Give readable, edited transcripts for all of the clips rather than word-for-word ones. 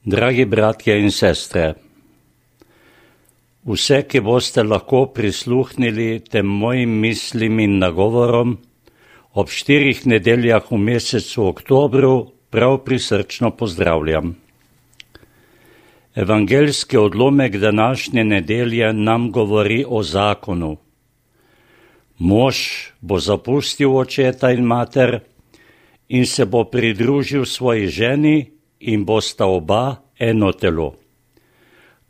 Dragi bratje in sestre, vse, ki boste lahko prisluhnili tem mojim mislim in nagovorom ob 4 nedeljah v mesecu oktobru, prav prisrčno pozdravljam. Evangeljski odlomek današnje nedelje nam govori o zakonu. Mož bo zapustil očeta in mater in se bo pridružil svoji ženi in bosta oba eno telo.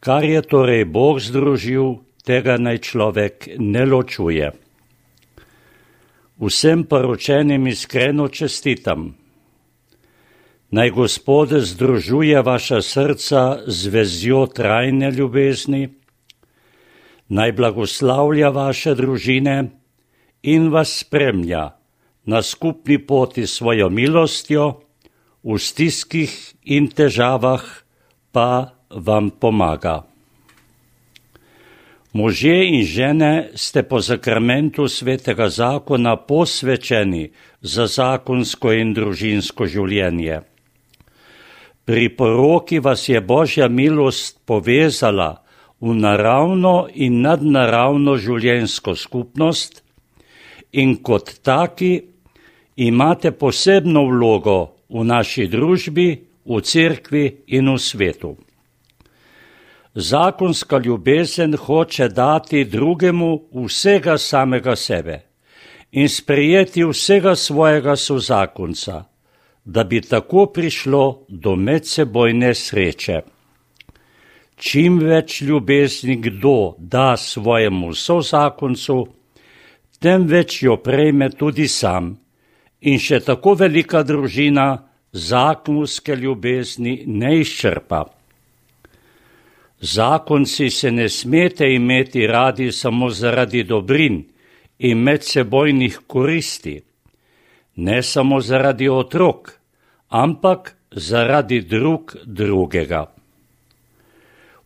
Kar je torej Bog združil, tega naj človek ne ločuje. Vsem poročenim iskreno čestitam. Naj Gospod združuje vaša srca z vezjo trajne ljubezni, naj blagoslavlja vaše družine in vas spremlja na skupni poti svojo milostjo, v stiskih in težavah pa vam pomaga. Možje in žene ste po sakramentu svetega zakona posvečeni za zakonsko in družinsko življenje. Pri poroki vas je Božja milost povezala v naravno in nadnaravno življenjsko skupnost in kot taki imate posebno vlogo v naši družbi, v cerkvi in v svetu. Zakonska ljubezen hoče dati drugemu vsega samega sebe in sprejeti vsega svojega sozakonca, da bi tako prišlo do medsebojne sreče. Čim več ljubezni kdo da svojemu sozakoncu, tem več jo prejme tudi sam. In še tako velika družina zakonske ljubezni ne izčrpa. Zakonci se ne smete imeti radi samo zaradi dobrin in medsebojnih koristi, ne samo zaradi otrok, ampak zaradi drugega.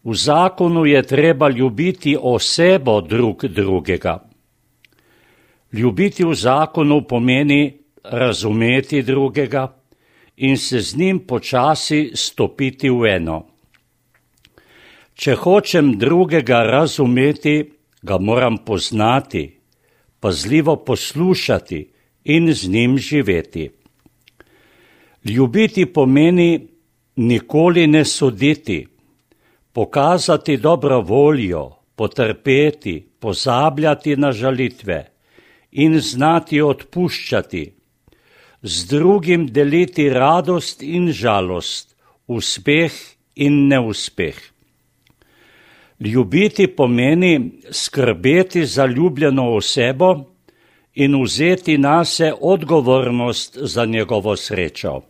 V zakonu je treba ljubiti osebo drugega. Ljubiti v zakonu pomeni razumeti drugega in se z njim počasi stopiti v eno. Če hočem drugega razumeti, ga moram poznati, pazljivo poslušati in z njim živeti. Ljubiti pomeni nikoli ne soditi, pokazati dobro voljo, potrpeti, pozabljati na žalitve in znati odpuščati, z drugim deliti radost in žalost, uspeh in neuspeh. Ljubiti pomeni skrbeti za ljubljeno osebo in vzeti nase odgovornost za njegovo srečo.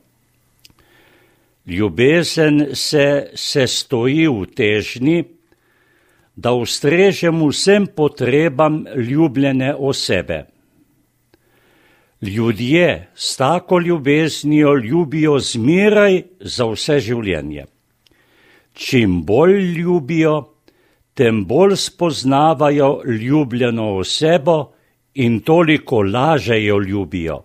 Ljubezen se sestoji v težnji, da ustrežem vsem potrebam ljubljene osebe. Ljudje s tako ljubeznijo ljubijo zmeraj za vse življenje. Čim bolj ljubijo, tem bolj spoznavajo ljubljeno osebo in toliko lažje jo ljubijo.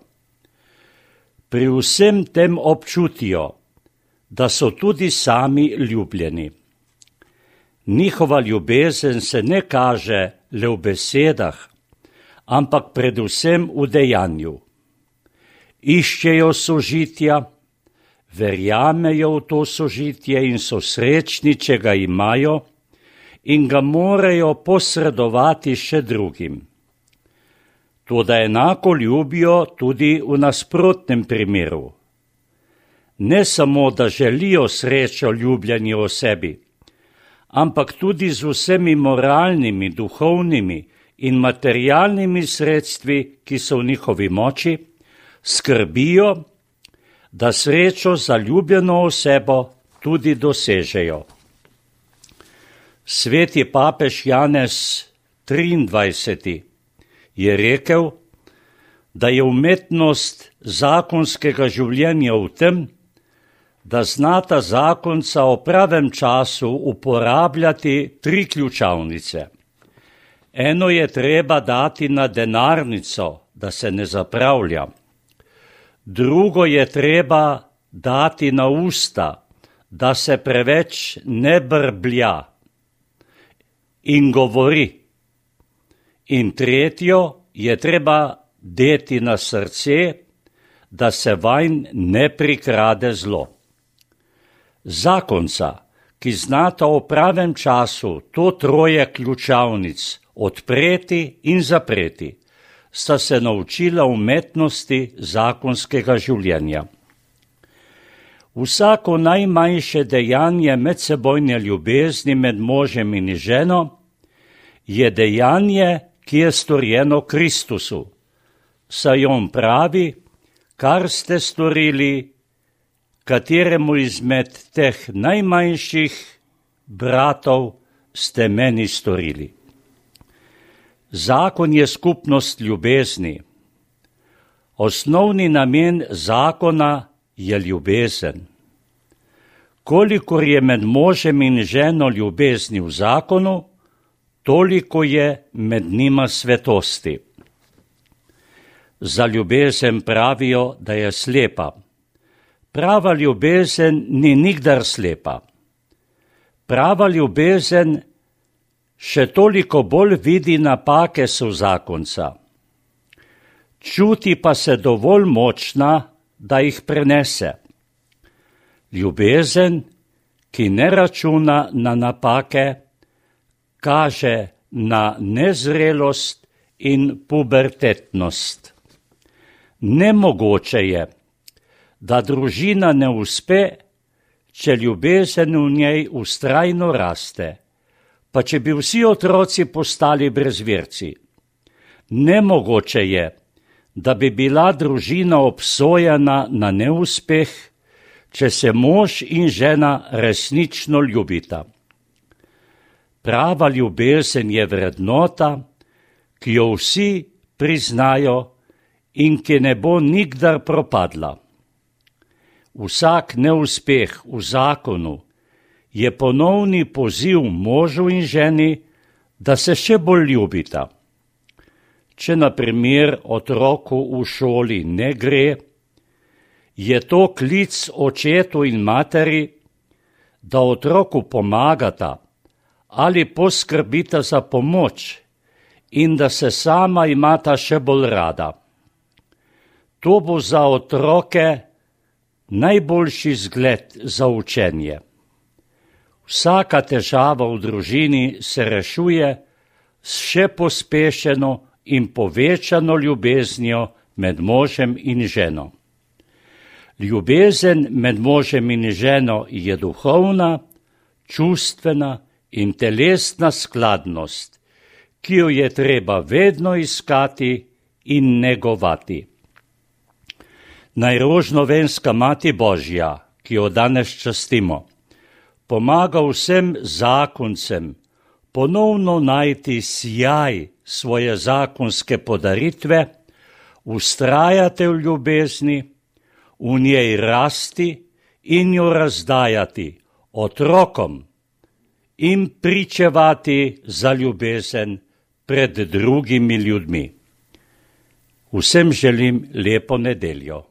Pri vsem tem občutijo, da so tudi sami ljubljeni. Njihova ljubezen se ne kaže le v besedah, ampak predvsem v dejanju. Iščejo sožitja, verjamejo v to sožitje in so srečni, če ga imajo in ga morajo posredovati še drugim. Toda enako ljubijo tudi v nasprotnem primeru. Ne samo, da želijo srečo ljubljeni osebi, ampak tudi z vsemi moralnimi, duhovnimi in materialnimi sredstvi, ki so v njihovi moči, skrbijo, da srečo za ljubljeno osebo tudi dosežejo. Sveti papež Janez 23. je rekel, da je umetnost zakonskega življenja v tem, da znata zakonca o pravem času uporabljati 3 ključavnice. Eno je treba dati na denarnico, da se ne zapravlja. Drugo je treba dati na usta, da se preveč ne brblja in govori. In tretjo je treba deti na srce, da se vanj ne prikrade zlo. Zakonca, ki znata v pravem času to troje ključavnic odpreti in zapreti, sta se naučila umetnosti zakonskega življenja. Vsako najmanjše dejanje medsebojne ljubezni med možem in ženo je dejanje, ki je storjeno Kristusu, saj on pravi, kar ste storili kateremu izmed teh najmanjših bratov ste meni storili. Zakon je skupnost ljubezni. Osnovni namen zakona je ljubezen. Kolikor je med možem in ženo ljubezni v zakonu, toliko je med njima svetosti. Za ljubezen pravijo, da je slepa. Prava ljubezen ni nikdar slepa. Prava ljubezen še toliko bolj vidi napake sozakonca. Čuti pa se dovolj močna, da jih prenese. Ljubezen, ki ne računa na napake, kaže na nezrelost in pubertetnost. Nemogoče je, da družina ne uspe, če ljubezen v njej vztrajno raste, pa če bi vsi otroci postali brezverci. Nemogoče je, da bi bila družina obsojena na neuspeh, če se mož in žena resnično ljubita. Prava ljubezen je vrednota, ki jo vsi priznajo in ki ne bo nikdar propadla. Vsak neuspeh v zakonu je ponovni poziv možu in ženi, da se še bolj ljubita. Če na primer otroku v šoli ne gre, je to klic očetu in materi, da otroku pomagata ali poskrbita za pomoč in da se sama imata še bolj rada. To bo za otroke najboljši zgled za učenje. Vsaka težava v družini se rešuje s še pospešeno in povečano ljubeznijo med možem in ženo. Ljubezen med možem in ženo je duhovna, čustvena in telesna skladnost, ki jo je treba vedno iskati in negovati. Naj rožnovenska Mati Božja, ki jo danes častimo, pomaga vsem zakoncem ponovno najti sijaj svoje zakonske podaritve, vztrajati v ljubezni, v njej rasti in jo razdajati otrokom in pričevati za ljubezen pred drugimi ljudmi. Vsem želim lepo nedeljo.